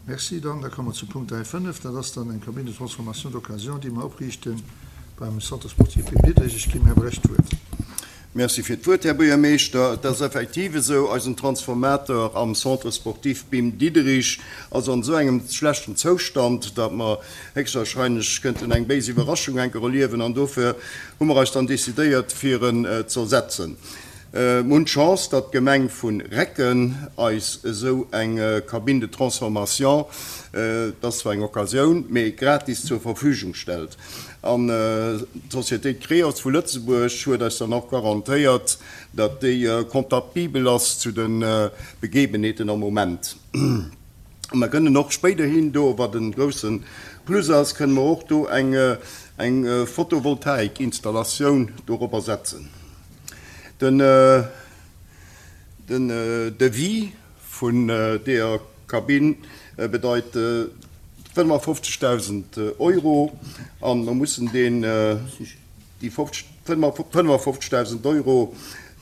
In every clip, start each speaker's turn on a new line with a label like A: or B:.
A: Merci. Dann, da komme mer zum Punkt 3, 5. Dat ass dann eng Cabine de transformation d'occasion, déi mer opriichte beim Centre sportif Bim Diderich. Ech ginn dem Här Brecht d'Wuert.
B: Merci fir d'Wuert, Här Buergermeeschter. Et ass effektiv esou, eisen Transformateur am Centre sportif Bim Diderich ass an esou engem schlechten Zoustand, datt mer héchstwahrscheinlech kënnten eng béis Iwwerraschung enker erliewen. An dofir hu mer eis dann decidéiert, fir en ze ersetzen. Mer hunn d'Chance, datt d'Gemeng vu Recken eis esou eng Cabine de transformation, et ass zwar eng Occasioun, mee gratis zur Verfügung stellt. An d'Société Creos vu Lëtzebuerg huet eis dann och garantéiert, datt déi compatibel ass zu de Begebenheeten am Moment. A mer kënnen och spéiderhin do, wat e grousse Plus ass, kënne mer och do eng Photovoltaikinstallatioun dorobber setzen. Den Devis vun deeër Kabinn bedeit 55.000 Euro an mer mussen deen, déi 55.000 Euro,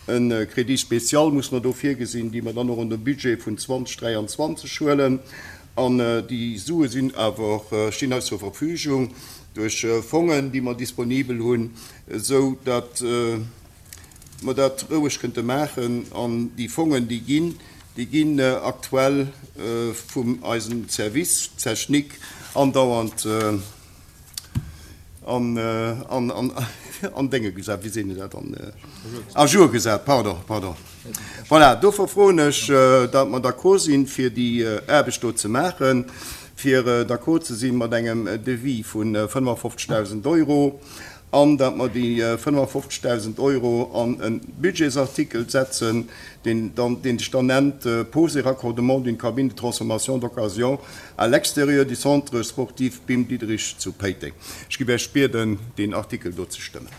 B: e Crédit spécial musse mer do virgesinn, déi mer dann och an de Budget vun 2023 huelen. An déi Sue sinn awer, stinn eis zur Verfügung duerch Fongen, déi mer disponibel hunn, esou datt mer dat roueg kënnte maachen. An déi Fongen, déi ginn, déi ginn aktuell vum eisem Service technique andauernd an, an, an, an Dénge gesat, wéi seet een dat, an, à jour gesat, pardon, pardon. Voilà, dofir froen ech, datt mer d'accord sinn, fir déi Aarbecht do ze maachen, fir d'accord ze si mat engem Devis vu 55.000 Euro an datt mer déi 55.000 Euro an e Budgetsartikel setzen, deen dann, deen sech dann nennt Pose et raccordement d'une cabine de transformation d'occasion à l'extérieur du Centre sportif Bim Diderich zu Péiteng. Ech géif Iech bieden, deen Artikel do ze stëmmen.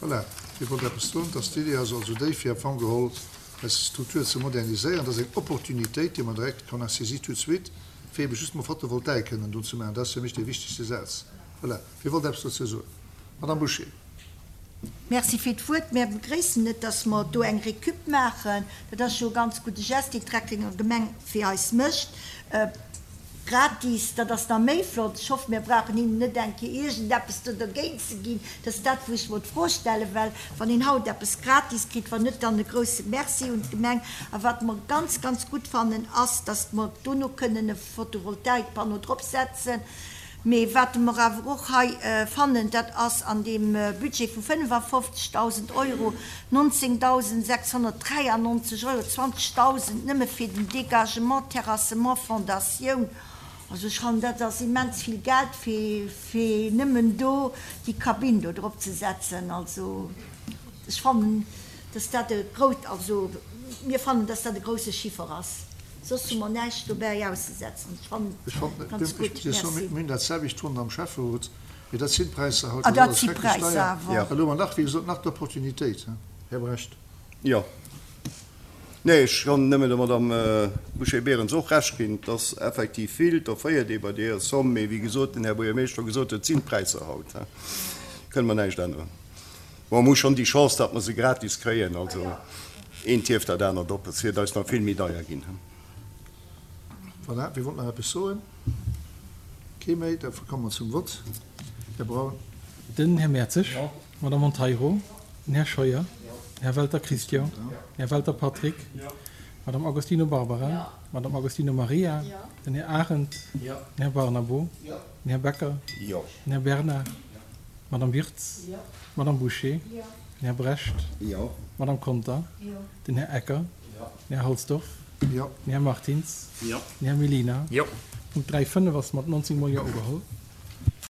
A: Voilà, Dir wollt eppes soen. Dass d'Idee ass also déi, fir am Fong geholl eis Struktur ze moderniséieren. Dat ass eng Opportunitéit, déi mer direkt, qu'on a saisie tout de suite, fir ebe just mol Photovoltaik kënnen do ze maachen. Dat ass fir mech dee wichtegste Saz. Voilà. Wie wollt eppes dozou soen? Madame Bouché.
C: Merci fir d'Wuert. Mär begréissen et, dass mer do eng Récup maachen. Dat ass jo e ganz gudde Geste, deen d'Recklinger Gemeng fir eis mécht. Gratis, dat ass nach méi flott. Ech hoffen, mir brauchen hinnen net eng Kéier iergendeppes do dergéint ze ginn. Dat ass dat, wou ech mer d'Fro stellen, well wann een haut eppes gratis kritt, wann net, dann e grouse Merci un d'Gemeng. A wat mer ganz, ganz gutt fannen, ass, dass mer dono kënnen e Photovoltaikpanneau dropsetzen. Mee wat mer awer och hei fannen, dat ass an deem Budget vu 55.000 Euro 19.693 Euro, 20.000 nëmme fir den Dégagement, Terrassement, Fondatioun. Also ech fannen, dat ass immens vill Geld, fir fir nëmmen do déi Kabinn do drop ze setzen. Also ech fannen, dass dat e grouss, also mir fannen, dass dat e grouse Chiffer ass. Soss hu mer näischt dobäi auszesetzen. Ech fannen et ganz gutt. Merci.
A: Mir hunn dat selwecht Wonner am Schäfferot, mee dat sinn d'Präisser haut.
C: Ah, dat si Präisser awer.
A: Elo hu mer nach, wéi gesot, nach d'Opportunitéit, Här Brecht.
B: Jo. Nee, ech kann nëmme der Madame Bouché-Berens och Recht ginn. Et ass effektiv vill, et offréiert ee bei deeër Somm, mee wéi gesot, den Här Buergermeeschter gesot huet, et sinn d'Präisser haut. Kënne mer näischt änneren. Bon, mer hu schonn déi Chance, datt mer se gratis kréien, also eent hieft dat anert op. Et wier eis nach vill méi deier ginn.
A: Voilà, wie wollt nach eppes soen? Kee méi? Da komme mer zum Vott. Här Braun.
D: Den Här Mertzig. D'Madame Monteiro. Den Här Scheuer. Den Här Welter Christian. Den Här Welter Patrick. D'Madame Agostino Barbara. D'Madame Agostino Maria. Den Här Arendt. Den Här Barnabo. Den Här Becker. Den Här Bernard. D'Madame Wirtz. D'Madame Bouché. Den Här Brecht. D'Madame Conter. Den Här Ecker. Den Här Halsdorf. Den Här Martins. Den Här Mellina. Punkt 3, 5 ass mat 19 mol Jo ugeholl.